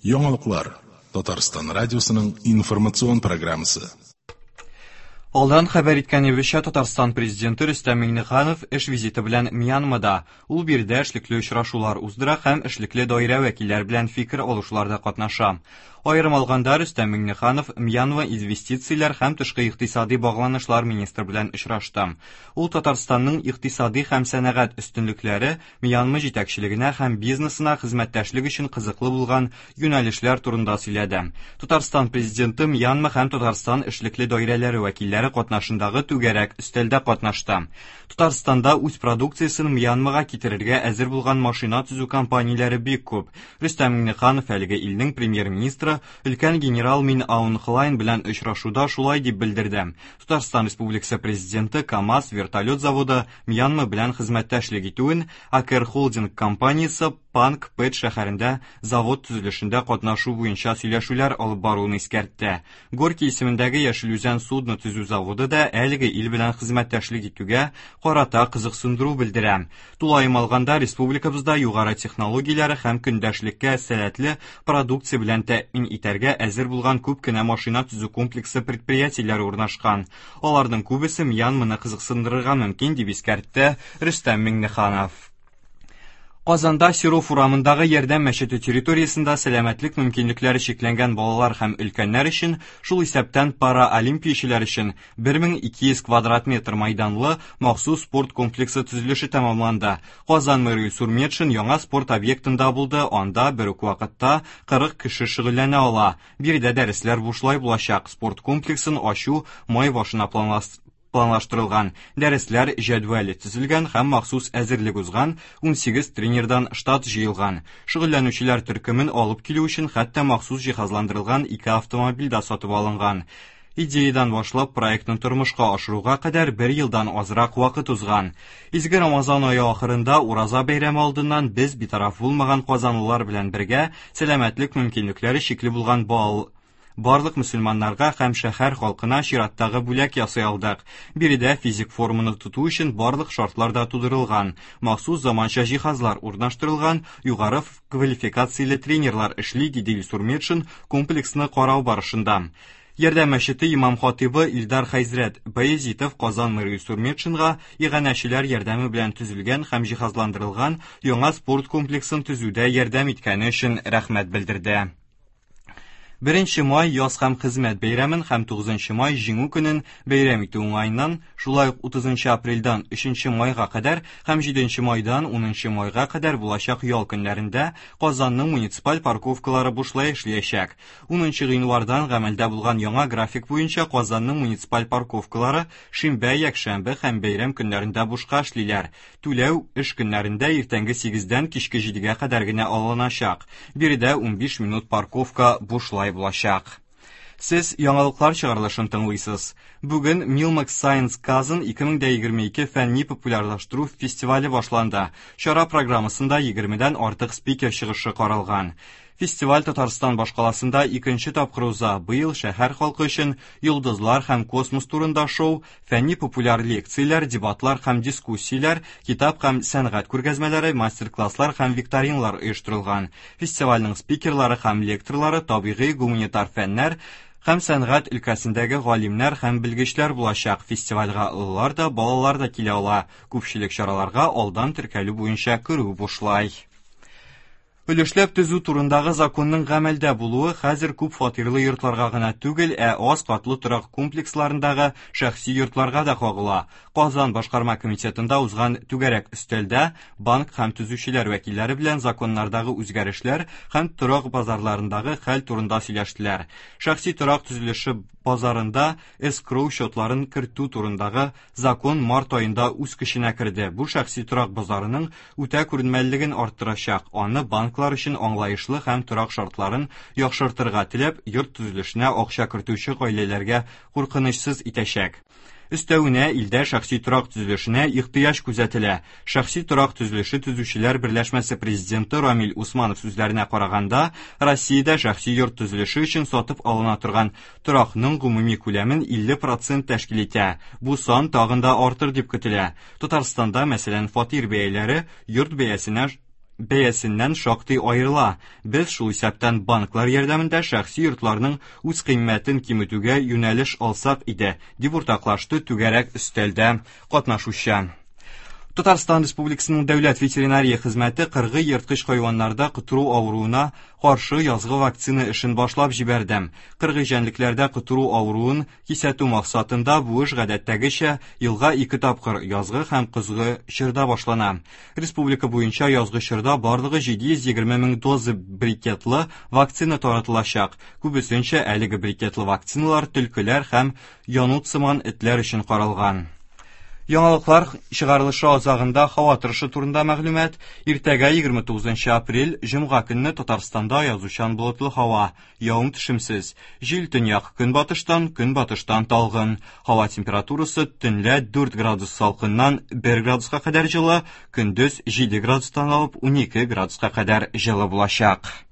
Яңалыклар Татарстан радиосының информацион программасы. Алдан хәбәр иткәнебезчә, Татарстан президенты Рөстәм Миңнеханов эш визиты белән Мьянмада. Ул биредә эшлекле очрашулар уздыра һәм эшлекле даирә вәкилләре белән фикер алышуларда катнаша. Аерым алганда, Рөстәм Миңнеханов Мьянма инвестицияләр һәм тышкы икътисади багланышлар министры белән очрашты. Ул Татарстанның икътисади һәм сәнәгать өстенлекләре Мьянма җитәкчелегенә һәм бизнесына хезмәттәшлек өчен кызыклы булган юнәлешләр турында сөйләде. Татарстан Президенты Мьянма һәм Татарстан эшлекле даирәләре вәкилләре катнашындагы түгәрәк өстәлдә катнашты. Татарстанда үз продукциясен Мьянмага китерергә әзер булган машина төзү компанияләре бик күп. Рөстәм Миңнеханов әлеге илнең премьер-министры өлкән генерал Мин Аун Хлайн белән очрашуда шулай дип белдерде. Татарстан Республикасы Президенты КАМАЗ вертолет заводы Мьянма белән хезмәттәшлек итүен, Акер Холдинг компаниясе Панк Пэт шәһәрендә завод төзелешендә катнашу буенча сөйләшүләр алып баруын искәртте. Горький исемендәге Яшел Үзән судно төзү заводы да әлеге ил белән хезмәттәшлек итүгә карата кызыксындыру белдерә. Тулаем алганда, республикабызда югары технологияләре һәм көндәшлеккә сәләтле продукция белән тәэмин итәргә әзер булган күп кенә машина төзү комплексы предприятиеләре урнашкан. Аларның күбесе Мьянманы кызыксындырырга мөмкин, дип искәртте Рөстәм Миңнеханов. Казанда Серов урамындагы Ярдәм мәчете территориясендә сәламәтлек мөмкинлекләре чикләнгән балалар һәм өлкәннәр өчен, шул исәптән параолимпиячеләр өчен 1200 квадрат метр майданлы махсус спорт комплексы төзелеше тәмамланды. Казан мэры Илсур Метшин яңа спорт объектында булды, анда бер үк вакытта 40 кеше шөгыльләнә ала. Биредә дәресләр бушлай булачак. Спорт комплексын ачу май башына планлаштырылган. Дәресләр җәдвәле төзелгән һәм махсус әзерлек узган 18 тренердан штат җыелган. Шөгыльләнүчеләр төркемен алып килү өчен хәтта махсус җиһазландырылган ике автомобиль дә сатып алынган. Идеядан башлап проектны тормышка ашыруга кадәр бер елдан азрак вакыт узган. Изге Рамазан ае ахырында Ураза бәйрәме алдыннан без битараф булмаган казанлылар белән бергә сәламәтлек мөмкинлекләре чикле булган бал барлык мөселманнарга һәм шәһәр халкына чираттагы бүләк ясый алдык. Биредә физик форманы тоту өчен барлык шартлар да тудырылган. Махсус заманча җиһазлар урнаштырылган, югары квалификацияле тренерлар эшли, диде Илсур Метшин комплексны карау барышында. Ярдәм мәчете имам хатибы Илдар Хәзрәт Баязитов Казан мэры Илсур Метшинга иганәчеләр ярдәме белән төзелгән һәм җиһазландырылган яңа спорт комплексын төзүдә ярдәм иткәне өчен рәхмәт белдерде. 1 май яз һәм хезмәт бәйрәмен һәм 9 май Җиңү көнен бәйрәм итү уңаеннан, шулай ук 30 апрельдән 3 майга кадәр һәм 7 майдан 10 майга кадәр булачак ял көннәрендә Казанның муниципаль парковкалары бушлай эшләячәк. 10 гыйнвардан гамәлдә булган яңа график буенча Казанның муниципаль парковкалары шимбә, якшәмбе һәм бәйрәм көннәрендә бушка эшлиләр. Түләү эш көннәрендә иртәнге 8-дән кичке 7-гә кадәр генә алыначак. Биредә 15 минут парковка бушлай булачак. Сез яңалыклар чыгарылышын тыңлыйсыз. Бүген Milmax Science Kazan 2022 фәнни популярлаштыру фестивале башланды. Чара программасында 20-дән артык спикер чыгышы каралган. Фестиваль Татарстан башкаласында икенче тапкыр уза. Быел шәһәр халкы өчен йолдызлар һәм космос турында шоу, фәнни популяр лекцияләр, дебатлар һәм дискуссияләр, китап һәм сәнгать күргәзмәләре, мастер-класслар һәм викториналар оештырылган. Фестивальнең спикерлары һәм лекторлары табигый гуманитар фәннәр һәм сәнгать өлкәсендәге галимнәр һәм белгечләр булачак. Фестивальгә олылар да, балалар да килә ала. Күпчелек чараларга алдан теркәлү буенча керү бушлай. Өлешләп төзү турындагы законның гамәлдә булуы хәзер күп фатирлы йортларга гына түгел, ә аз катлы торак комплексларындагы шәхси йортларга да кагыла. Казан башкарма комитетында узган түгәрәк өстәлдә банк һәм төзүчеләр вәкилләре белән законнардагы үзгәрешләр һәм торак базарларындагы хәл турында сөйләштеләр. Шәхси торак төзелеше базарында эскроу счетларын кертү турындагы закон март аенда үз көченә керде. Бу шәхси торак базарының үтә күренмәлелеген арттырачак. Аны банклар өчен аңлаешлы һәм торак шартларын яхшыртырга теләп, йорт төзелешенә акча кертүче гаиләләргә куркынычсыз итәчәк. Өстәвенә илдә шәхси торак төзелешенә ихтыяҗ күзәтелә. Шәхси торак төзелеше төзүчеләр берләшмәсе президенты Рамил Усманов сүзләренә караганда, Россиядә шәхси йорт төзелеше өчен сатып алына торган торакның гомуми күләмен 50% тәшкил итә. Бу сан тагын да артыр дип көтелә. Татарстанда, мәсәлән, фатир бәяләре йорт бәясенә бәясеннән шактый аерыла. Без, шул исәптән банклар ярдәмендә шәхси йортларның үзкыйммәтен киметүгә юнәлеш алсак иде, дип уртаклашты түгәрәк өстәлдә катнашучы. Татарстан Республикасының Дәүләт ветеринария хезмәте кыргый ерткыч хайваннарда котыру авыруына каршы язгы вакцина эшен башлап җибәрде. Кыргый җәнлекләрдә котыру авыруын кисәтү максатында бу эш гадәттәгечә елга ике тапкыр язгы һәм көзге чорда башлана. Республика буенча язгы чорда барлыгы 720 мең доза брикетлы вакцина таратылачак. Күбесенчә әлеге брикетлы вакциналар төлкеләр һәм янут сыман этләр өчен каралган. Яңалыклар чыгарылышы азагында һава торышы турында мәгълүмат. Иртәгә 29 апрель, җомга көнне Татарстанда язучан болытлы һава, явым төшемсез. Җил төньяк көнбатыштан, көнбатыштан талгын. Һава температурасы төнлә 4 градус салкыннан 1 градуска кадәр җылы, көндез 7 градустан алып 12 градуска кадәр җылы булачак.